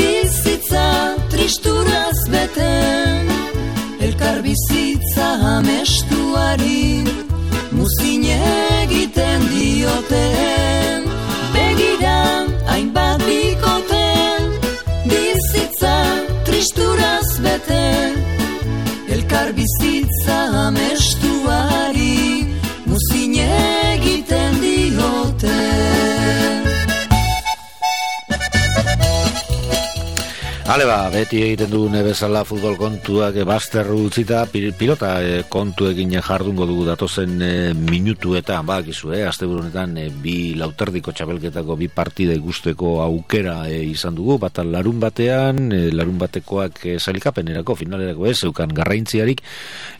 bizitza tristuraz beten, elkar bizitza amestuari, muzin egiten dioten. Begiran hainbat bikoten, bizitza tristuraz beten, elkar bizitza amestuari, muzin egiten dioten. Hale ba, beti egiten dugune bezala futbol kontuak bazterru utzita, pilota e, kontuekin jardungo dugu datozen e, minutuetan, bakizu, eh, asteburunetan e, bi lauterdiko txapelketako bi partida ikusteko aukera e, izan dugu, bat larun batean, e, larun batekoak e, zailkapenerako, finalerako ez, zeukan garraintziarik,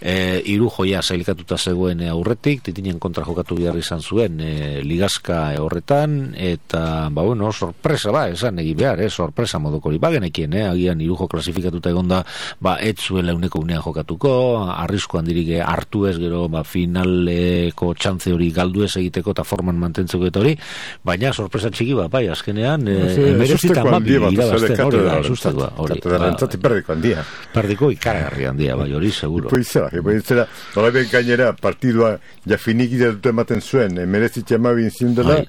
e, hiru joia zailkatuta zegoen e, aurretik, titinen kontra jokatu behar izan zuen e, ligazka e, horretan, eta, ba, bueno, sorpresa, ba, esan egin behar, eh, sorpresa modokori, bagenekien, eh, agian hirujo klasifikatuta egonda, ba, ez zuela uneko unean jokatuko, arrisko handirik hartu ez gero, ba, finaleko txantze hori galdu ez egiteko eta forman mantentzeko eta hori, baina sorpresa txiki bat, bai, azkenean, emerezita mabi irabazten, hori da, sustatua, hori. Perdiko handia. Perdiko ikaragarri handia, bai, hori, seguro. Ipoizera, ipoizera, nola ben gainera, partidua ja finikita dute ematen zuen, emerezitza mabi inzindela,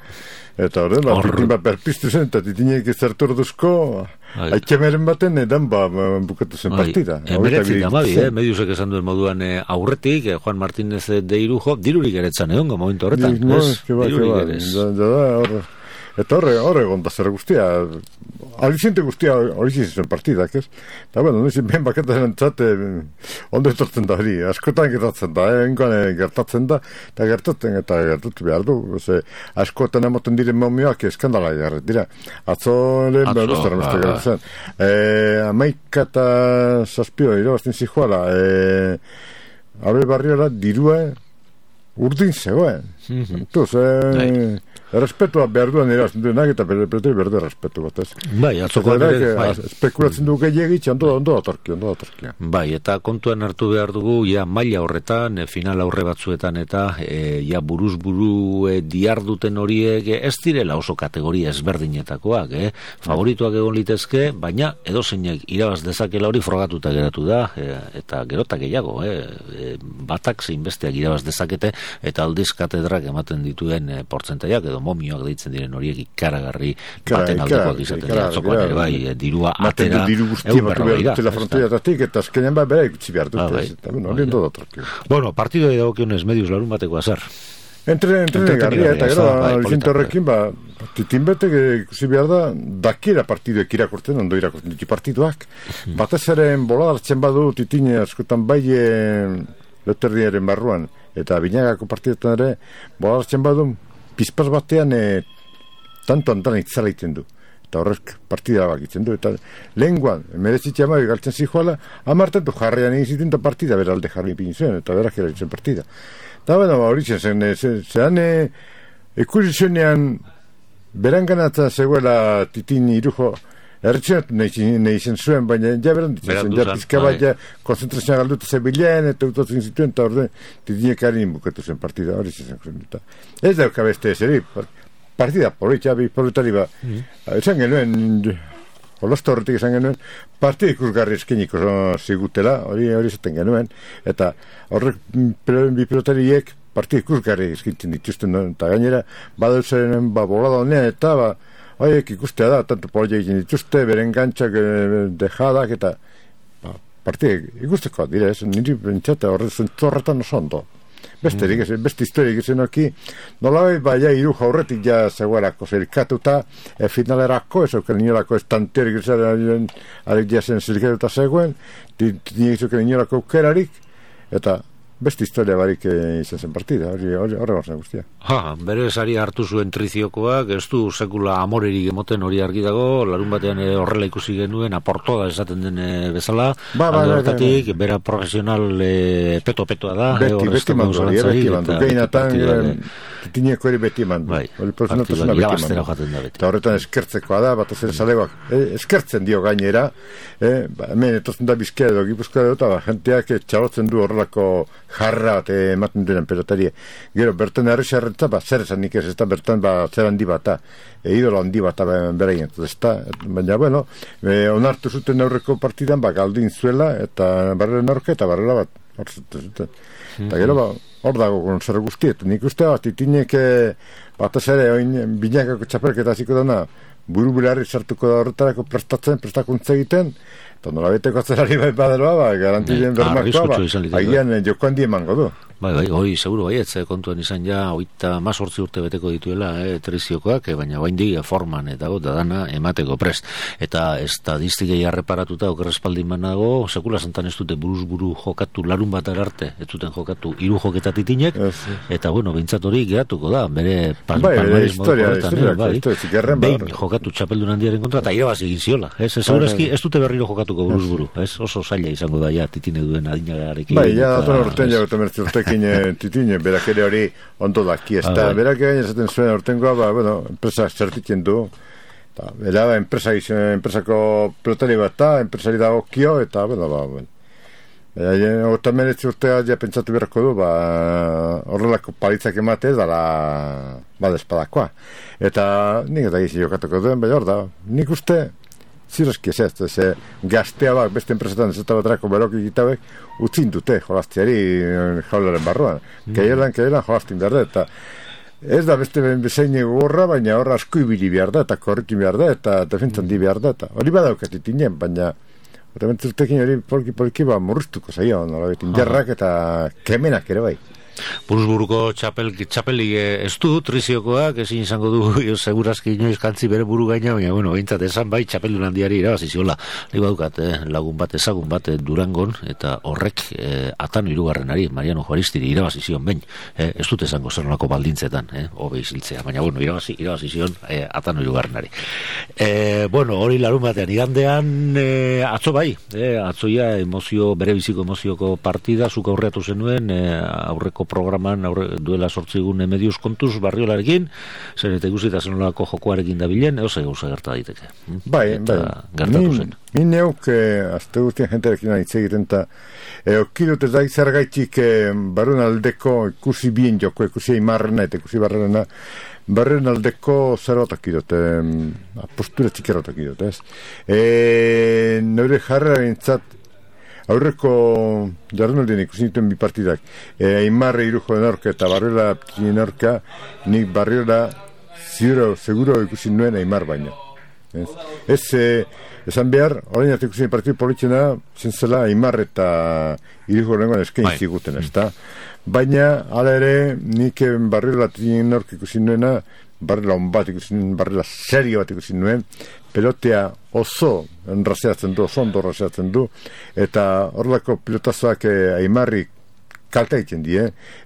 eta horren, ba, titin bat berpiztu zen, eta titinek ezertu orduzko, haitxemeren baten, edan ba, bukatu zen partida. Emeretzit amabi, eh, mediusek esan duen moduan eh, aurretik, eh, Juan Martínez de Irujo, dirurik eretzan egon, momentu horretan. No, ez, que ba, que ba, da, da, horre. Eta horre, horre gonda zer guztia, alizente guztia hori zen partidak, ez? Eta, bueno, nizien ben baketaren txate, ondo etortzen da hori, askotan gertatzen da, eh? Engoan gertatzen da, eta gertatzen, eta gertatu behar du, ze, askotan emoten diren momioak eskandala jarret, dira, atzo lehen behar duztara meste gertatzen. Eh, amaika eta zazpio, irabazten zijoala, eh, Abel Barriola dirua urdin zegoen. Entuz, eh... Errespetua behar duan erazten duenak eta berdu berdu errespetu bat, ez? Bai, atzoko ere, bai. Espekulatzen dugu gehiagitxe, ondo, ondo datorki, ondo datorki. Bai, eta kontuan hartu behar dugu, ja, maila horretan, e, final aurre batzuetan eta, e, ja, buruz buru e, diarduten horiek e, ez direla oso kategoria ezberdinetakoak, eh? Favorituak egon litezke, baina edozeinek irabaz dezakela hori frogatuta geratu da, e, eta gerotak gehiago, eh? E, batak zein besteak irabaz dezakete, eta aldiz katedrak ematen dituen e, portzentaiak edo momioak deitzen diren horiek ikaragarri baten aldekoak izaten dira, atzokoan ere bai, dirua atera egun berra behira. Eta frontoiatatik, eta azkenean bai bera ikutsi behar dute, eta bueno, hori endo datorki. Bueno, partidoi dagokionez medius larun bateko azar. Entre, entre garria, eta gero, alizinto horrekin, ba, titin betek ikusi behar da, dakiera partiduek irakurtzen, ondo irakurtzen ditu partiduak. Batez ere bolada hartzen badu, titine askotan bai leterdiaren barruan, eta binagako partidetan ere, bolada hartzen badu, pizpaz batean e, tanto antan itzala iten du. Eta horrek partida bakitzen du. Eta lehenguan, merezitxe amabi galtzen zijoala, amartatu jarrean egin ziten da partida, beralde jarri pin zuen, eta berak eraitzen partida. Eta bena, hori zen, zean ikusi zuenean, beran ganatza zegoela titin Irujo, erretxenatu nahi zen zuen, baina ja beran ditzen zen, ja pizka bat, ja konzentrazioa galduta zebilean, eta utotzen zituen, eta orden titinek harin bukatu zen partida, hori zen zen. Ez dauka beste ezeri, partida politxa, bi politari ba, esan genuen, holazta horretik esan genuen, partida ikusgarri eskeniko zigutela, hori hori zaten genuen, eta horrek bi pilotariek partida ikusgarri eskintzen dituzten, eta gainera, badauzen, ba, bolada honean, eta, ba, horiek ikustea da, tanto poliak egin dituzte, beren gantzak, dejadak, eta ba, partida ikusteko dira, ez, niri bentsate horretzen zorretan oso ondo. Besterik, mm. beste historiak izan oki, nolai, ba, ja, Irujo aurretik ja zegoelako zerikatuta, e, finalerako, ez auken inolako estanterik izan, arek ja zen zerikatuta zegoen, tinik zuken inolako aukerarik, eta beste historia barik izan zen partida, hori horre gorzen guztia. Ha, bere sari hartu zuen triziokoak, ez du sekula amorerik emoten hori argi dago, larun batean horrela ikusi genuen, aporto da esaten den bezala, ba, ba, alde hortatik, bera profesional e, peto-petoa da. Beti, beti mandu, beti mandu, gehinatan, titineko eri beti mandu, hori profesionaltasuna beti mandu. Eta horretan eskertzekoa da, bat ez ere zalegoak, eskertzen dio gainera, hemen etotzen da Bizkaia edo Gipuzkoa edo, eta jenteak txalotzen du horrelako jarra bat ematen duen pelotari. Gero, bertan errexarrentza, ba, zer esan nik ez, ez da, bertan, ba, zer handi bata, e, idolo handi bata beraien, ez da, baina, bueno, e, onartu zuten aurreko partidan, ba, galdin zuela, eta barrela aurka, eta barrela bat, hor zuten zuten. Eta gero, ba, hor dago zer guztiet, nik uste bat, itinek, bat ez ere, oin, binakako txapelketa ziko dana, buru bularri sartuko da horretarako prestatzen, prestakuntza egiten, eta nola beteko atzerari bai baderoa, ba, garantien bermakoa, ba, agian joko handi emango du. Bai, bai, hori, seguru, bai, ez kontuan izan ja, oita mazortzi urte beteko dituela, eh, triziokoak, eh, baina baindi forman, eta da dana emateko prest. Eta estadistikei arreparatuta, okerrespaldin manago, sekula santan ez dute buruz buru jokatu larun bat arte, ez duten jokatu hiru joketatitinek, eta bueno, bintzat hori geratuko da, bere palmaris modukoretan, behin jokatu txapeldun handiaren kontra, eta irabazi egin ziola, ez, segurazki ez dute berriro jokatuko buruz buru, ez, oso zaila izango da, ja, titine duen adinagarekin. Bai, ja, dator urtean ja, urtean titine, berak ere hori ondo daki, ez da, berak egin esaten zuen urtengoa, ba, bueno, enpresa zertitzen du, eta, bera, enpresa enpresako pelotari bat da, enpresari dago kio, eta, bueno, ba, bueno. Eta meretzi urtea ja pentsatu beharko du, ba, horrelako palitzak emate, dara, ba, despadakoa. Eta, nik eta gizi jokatuko duen, bai hor da, nik uste, zirazki ez ez, ez gaztea bak, beste enpresetan ez eta batrako berok egitabek, utzin dute jolaztiari jaularen barruan. Mm. Keielan, keielan jolaztin behar da, eta ez da beste bezein gorra, baina horra asko ibili behar da, eta korrikin behar da, eta defentzan di behar da, eta hori badaukatit inen, baina horrementzultekin hori polki-polki ba murriztuko zaio, nola betin jarrak eta kemenak ere bai. Buruzburuko txapel, txapelik ez du, triziokoak, ezin izango du segurazki inoiz kantzi bere buru gaina, baina, bueno, behintzat esan bai, txapeldun handiari irabaziziola. Nik badukat, eh, lagun bat, ezagun bat, eh, Durangon, eta horrek eh, atano irugarrenari, Mariano Juaristiri irabazizion behin, eh, ez dut esango zer nolako baldintzetan, eh, hobe iziltzea, baina, bueno, irabazi, irabazizion eh, atano irugarrenari. Eh, bueno, hori larun batean, igandean, eh, atzo bai, eh, atzoia emozio, bere biziko emozioko partida, zuk aurreatu zenuen, eh, aurreko programan aurre, duela sortzigun medius kontuz barriolarekin, zer eta ikusita zenolako jokoarekin dabilen, eoze gauza gerta daiteke. Bai, eta bai. Gertatu zen. Ni neuk, eh, azte guztien jenterekin hitz egiten, eta eh, okidut ez da izargaitik eh, barruen aldeko ikusi bien joko, ikusi aimarrena eta ikusi barrena, barruen aldeko zerotak idot, eh, postura txikerotak idot, ez? Eh, Nore jarra bintzat, aurreko jardunaldien ikusi dituen bi partidak, e, Aimarre irujo denorka eta Barriola denorka, nik Barriola ziguro, seguro ikusi nuen Aimar baino. Ez, ez e, esan behar, orain arte ikusi partidu politxena, zentzela Aimar eta irujo denorka eskain ziguten, ez da? Baina, ala ere, nik Barriola denorka ikusi nuena, Barriola on bat ikusi nuen, Barriola serio bat ikusi nuen, pelotea oso enraseatzen du, oso ondo enraseatzen du, eta horrelako pilotazoak eh, Aimarri kalta egiten die,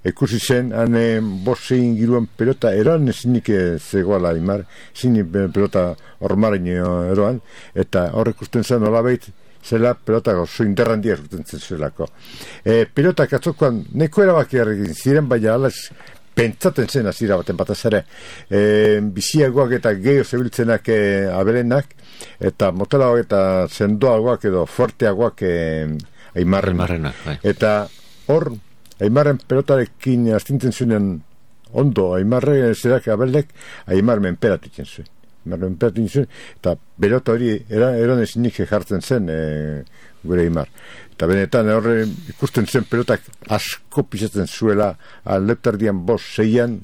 ikusi zen, hane bosein giruan pelota eroan ezinik zegoela Aimar, ezinik pelota ormaren eroan, eta horrek usten zen olabait, zela pelota oso interrandia zuten zen zelako. E, pelotak atzokoan neko erabaki egin ziren, baina alaz pentsaten zen azira baten batez ere, e, biziagoak eta gehiago zebiltzenak e, abelenak, eta motelagoak eta sendoagoak edo forteagoak e, Aimarren. Bai. Eta hor, Aimarren pelotarekin astintzen zuen ondo, Aimarren zerak abelek, Aimar menperatitzen zuen. Aimar menperatitzen zuen, eta pelota hori eran ezinik jartzen zen e, gure Aimar. Eta benetan horre ikusten zen pelotak asko pisatzen zuela aleptardian bos, zeian,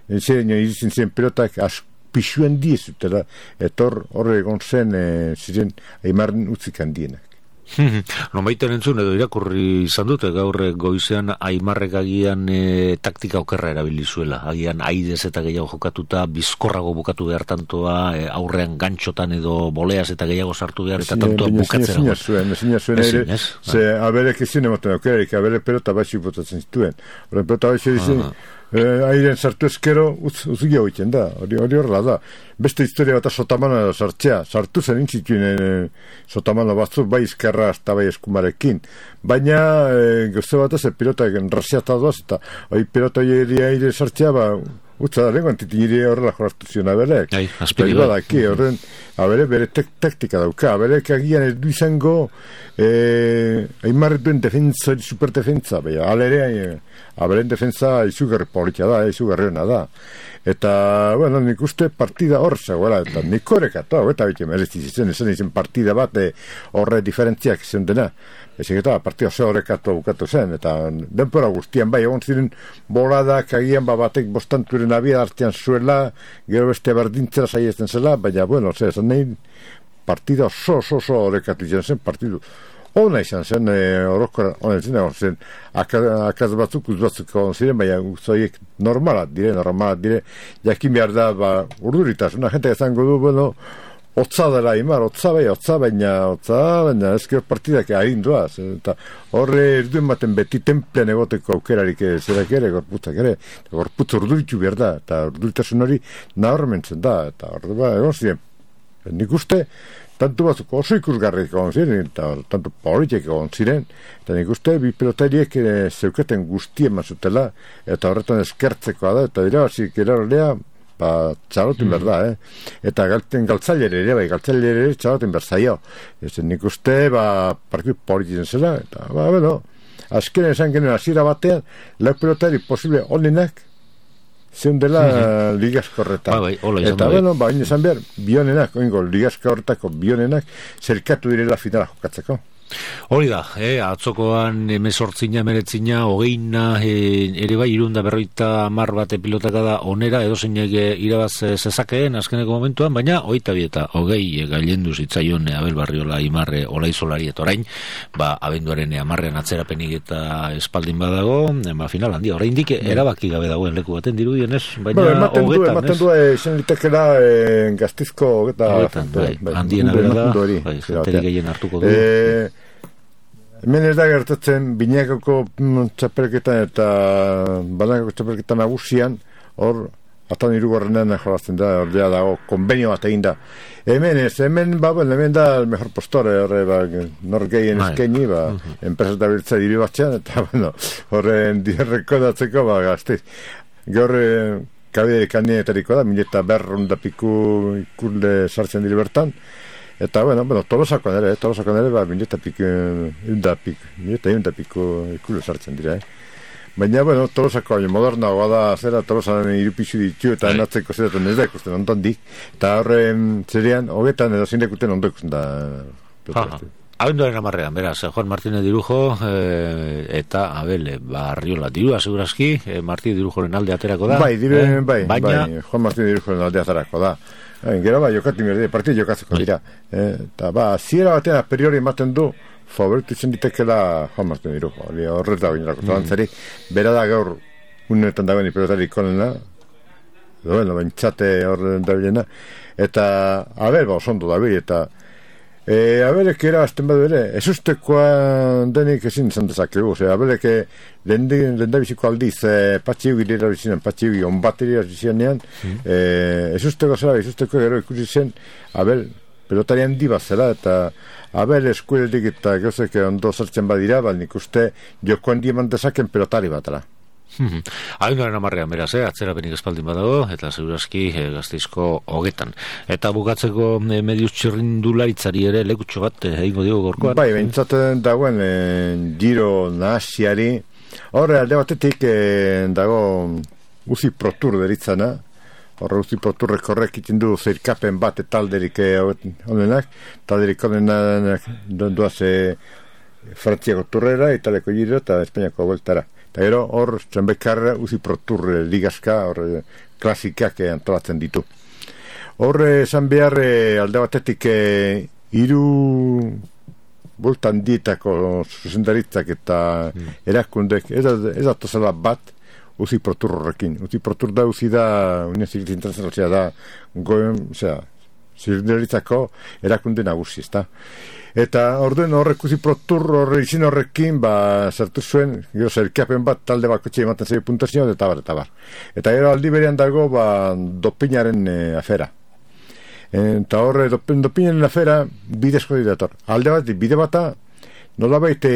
entzeren iritzen zen pelotak asko pisuen diezutela, eta horre egon zen e, ziren Aimaren utzik handienak. No baiten entzun edo irakurri izan dute gaur goizean Aimarrek agian e, taktika okerra erabili zuela, agian aidez eta gehiago jokatuta bizkorrago bukatu behar tantoa, e, aurrean gantxotan edo boleaz eta gehiago sartu behar eta tantoa bukatzera. Ezina zuen, ezina zuen ere, ze aberek ezin emoten aukererik, aberek pelota baixi botatzen zituen. Horren pelota baixi dizien, Eh, airen sartu ezkero utz, utzia hoiten da, hori hori horrela da. Beste historia bat sotamana sartzea, sartu zen intzituen e, sotamana batzuk bai izkerra hasta bai eskumarekin, baina e, gauze bat ez pilota enrasiata doaz eta hori pilota hori aire sartzea ba utza da lenguan titiniri horrela jorraztu zion abelek. Aspiri bat. Horren, abere bere tek, taktika dauka, abelek agian ez du izango eh, Aimarrek duen defensa, superdefensa, beha, alere eh, aberen defensa izugarri politia da, izugarriona da. Eta, bueno, nik uste partida hor zegoela, eta nik horreka, eta bete merezti zizen, esan izan partida bat horre diferentziak izan dena. Ezik eta partida ze horrekatu bukatu zen, eta denpora guztian bai, egon ziren boladak agian ba batek bostanturen abia hartian zuela, gero beste berdintzera saiesten zela, baina, bueno, ze, esan nahi partida oso, oso, oso horrekatu izan zen, partidu ona izan zen, e, orokora, ona izan egon zen, akaz batzuk, uz batzuk egon ziren, baina zoiek normalat dire, normalat dire, jakin behar da, ba, urduritasuna, jente ezango du, bueno, otza dela Aimar, otza bai, otza baina, otza baina, ezkero partidak aginduaz, eta horre erduen baten beti templean egoteko aukerarik zerak ere, gorputzak ere, gorputz urduritu behar da, eta urduritasun hori nahormentzen da, eta horre ba, egon ziren, nik uste, tanto batzuk oso ikusgarrik egon ziren, eta tanto politiek egon ziren, eta nik uste bi pelotariek e, zeuketen guztien mazutela, eta horretan eskertzekoa da, eta dira, zik erarolea, ba, txalotin mm. berda, eh? Eta galten galtzailere ere, bai, galtzailere ere txalotin berzaio. Ez nik uste, ba, partidu politizen zela, eta, ba, bueno, azken esan genuen hasiera batean, lau pelotari posible onenak, zeun dela mm-hmm. ligazko horretan. Ba, bai, hola izan eta, bai. Bueno, ba, izan behar, bionenak, oingo, ligazko horretako bionenak, zerkatu direla finala jokatzeko. Hori da, eh, atzokoan emezortzina, meretzina, hogeina, eh, ere bai, irunda berroita mar bate pilotaka da onera, edo zeinek irabaz zezakeen azkeneko momentuan, baina hogeita bieta, hogei gailendu zitzaion Abel Barriola Aimarre Olaizolari eta orain, ba, abenduaren amarrean atzerapenik eta espaldin badago, ba, final handia, oraindik erabaki gabe dagoen leku baten dirudien ez, baina bueno, ematen hogetan, du, ematen du, izan litekela eh, gaztizko hogeta, hogetan, bai, bai, handiena bera da, bai, jenterik gehien hartuko du. Eh, Hemen ez da gertatzen binakako mm, txapelketan eta banakako txapelketan nagusian, hor, atan irugarrenean jolazten da, hor ja dago, konbenio bat egin da. Hemen ez, hemen, ba, bueno, hemen da el mejor postore, horre, ba, nor gehien eskeni, ba, uh-huh. enpresa eta biltza diri batxean, eta, bueno, horren rekodatzeko, ba, gazteiz. Gaur, kabide kanietariko da, mileta berrunda piku ikurle sartzen diri bertan, eta, bueno, bueno, tolosako nere, tolosako nere, ba, mileta piku, eunda piku, mileta eunda piku ikurle sartzen dira, eh. Baina, bueno, tolosako baina modernagoa da, zera, tolosan irupixu ditu, eta enatzeko zeraten ez da ikusten ondotik, eta horren zerean, hogetan edo zindekuten ondo ikusten da. Abenduaren amarrean, beraz, Juan Martínez Dirujo eh, eta Abel Barriola dirua, segurazki, eh, Martínez Dirujoren alde aterako da. Bai, dire, eh? bai, Baina... bai, Juan Martínez Dirujoren alde aterako da. Eh, gero, bai, jokatu merde, partidu jokatzeko dira. Eh, eta, ba, ziera batean a priori ematen du, favoritu izan ditekela Juan Martínez Dirujo. Horrez da, binerako zalantzari, mm. bera da gaur, unetan dagoen ipelotari ikonena, bueno, bentsate horren da bilena, eta, Abel, ba, osondo da bil, eta, E, abelek erabazten badu ere, ez ustekoa denik ezin izan dezakegu, ose, abelek lehen da biziko aldiz, e, patxiugi dira bizinen, patxiugi onbateri bizienean, mm. e, ez usteko zela, ez usteko gero ikusi zen, Abel pelotari handi bat zela, eta Abel eskueletik eta gauzek ondo sartzen badira, bat nik uste joko handi eman dezaken pelotari batara. Hmm. Abenduaren amarrean beraz, eh? Atzerapenik espaldin badago, eta segurazki eh, Gasteizko hogetan. Eta bukatzeko eh, mediuz txirrindularitzari ere lekutxo bat eh, egingo digo gorkoan. Bai, bentsaten dagoen eh, giro nahasiari, horre alde batetik eh, dago Uzi Protur deritzana, horre Uzi Proturrek horrek iten du zeirkapen bat talderik honenak, talderik honenak duaz eh, Frantziako turrera, Italiako giro eta Espainiako bueltara. Eta gero hor zenbekarra Uzi Protur ligazka, hor klasikak antolatzen ditu. Hor esan behar alde batetik hiru bultan dietako zuzendaritzak eta mm. erakundek, ez da tozela bat, uzi protur horrekin. Uzi protur da, uzi da, Unión Civil Internacional da, goen, osea, zuzendaritzako erakunde nagusi, ezta. Eta orduen horrek uzi protur horre izin horrekin, ba, sartu zuen, gero zerkapen bat, talde bakotxe ematen zaio puntazio, eta bar, eta bar. Eta gero aldi berean dago, ba, dopinaren e, afera. Eta horre, dopin, dopinaren afera, bidezko didator. Alde bat, bide bata, nolabait e,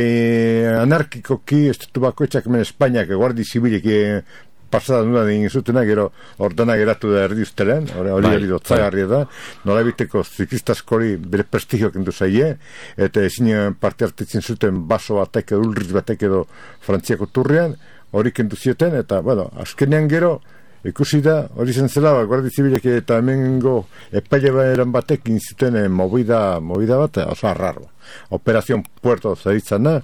anarkikoki, estatu bakoitzak hemen Espainiak, guardi zibilek, e, pasada nuna egin zutena, gero ordena geratu da erdi ustelen, hori hori dotzagarria da, nolabiteko ziklistaskori bere prestigio kendu zaie, eta ezin parte hartetzen zuten baso batek edo ulriz batek edo Frantziako turrean, hori kendu zieten, eta, bueno, azkenean gero, ikusi da, hori zen zela, guardi zibilek eta hemengo epaile eran batek inzuten eh, movida, movida bat, oso arraro. Operazion Puerto zaritzana,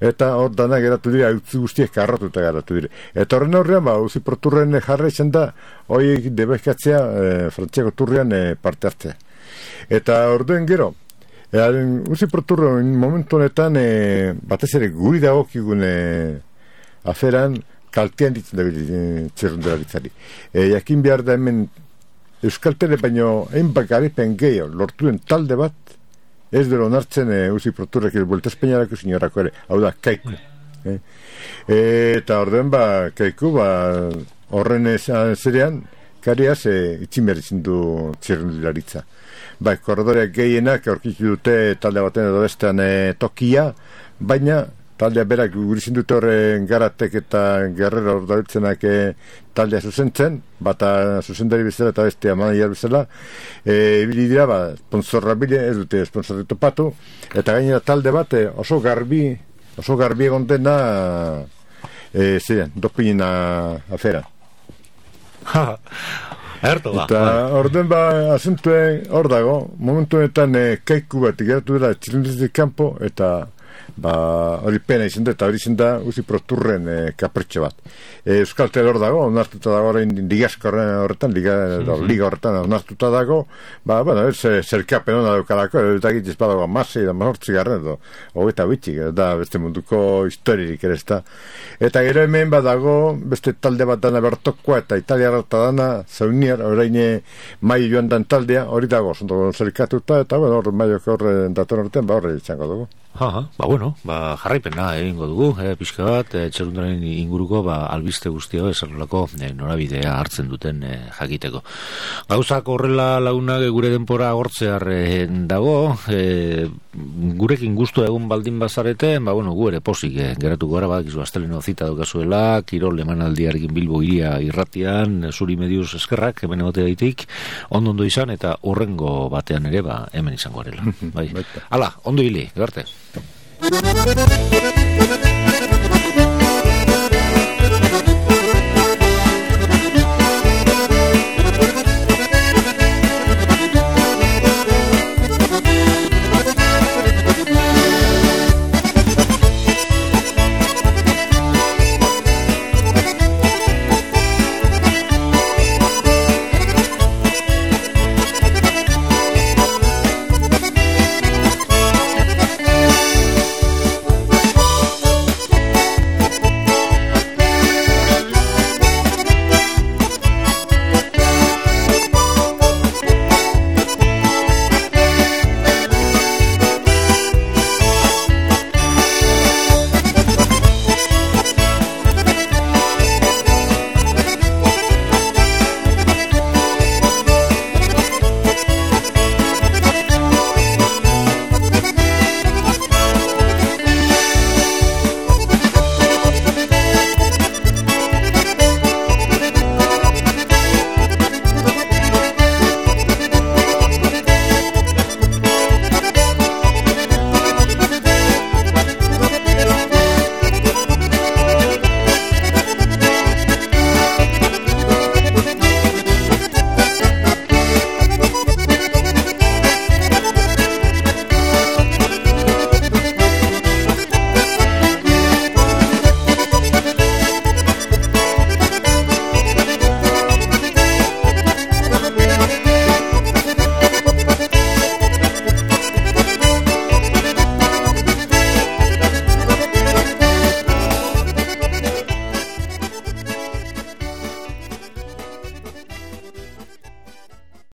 eta hor dana geratu dira, utzi guztiek karrotuta geratu dira. Eta horren horrean, ba, uzi proturren jarra izan da, hori debezkatzea, e, Frantziako turrean e, parte hartzea. Eta orduen gero, e, uzi proturren momentu honetan, e, batez ere guri dagokigun e, aferan, kaltean ditzen da txerrundelabitzari. E, jakin behar da hemen Euskaltele baino egin bakaripen gehiago lortuen talde bat ez dela onartzen e, uzi proturrek el Vuelta Espainiarako signorako ere, hau da, Kaiku. E, e, eta orduen ba, Kaiku, ba, horren zerean, kariaz e, itxin behar izin du txerrundelaritza. Ba, korredoreak gehienak aurkitu dute talde baten edo bestean e, tokia, baina taldea berak gurizin dute horren Garatek eta Guerrero ordabiltzenak e, taldea zuzentzen, bata zuzendari bezala eta bestea manager bezala, ibili e, dira, ba, sponsorra bile, ez dute sponsorri topatu, eta gainera talde bat e, oso garbi, oso garbi egon dena, e, ziren, dopina afera. Ha, erto ba. Eta orden ba, asentue hor dago, momentu honetan e, Kaiku bat geratu dela txilundizik kanpo, eta ba, hori pena izan da, eta hori izan da uzi proturren e, kapritxo bat. E, Euskaltel hor dago, onartuta dago horrein ligasko horretan, liga, mm-hmm. liga horretan onartuta dago, ba, bueno, ez zerkapen hona daukalako, eta egitez badago amasei da mazortzi garren, edo, hogeita bitxik, da beste munduko historirik ere ez da. Eta gero hemen badago, beste talde bat dana bertokoa, eta italiara eta dana, zaunier, horrein mai joan dan taldea, hori dago, zondo zerkatuta, eta bueno, hor maiok horre dator horretan, ba horre izango dugu. Ha, ba bueno, ba jarraipena egingo dugu, eh, pixka bat, eh, txerrundaren inguruko, ba albiste guztia esanolako eh, norabidea hartzen duten eh, jakiteko. Gauzak horrela lagunak gure denpora agortzear eh, dago, eh, gurekin gustu egun baldin bazarete, ba bueno, gu ere posik eh, geratuko gara, badakizu asteleno zita daukazuela, Kirol emanaldiarekin Bilbo iria irratian, zuri mediuz eskerrak, hemen egote daitik, ondo ondo izan, eta horrengo batean ere, ba hemen izango garela. Bai. Hala, ondo hili, garte. Thank you.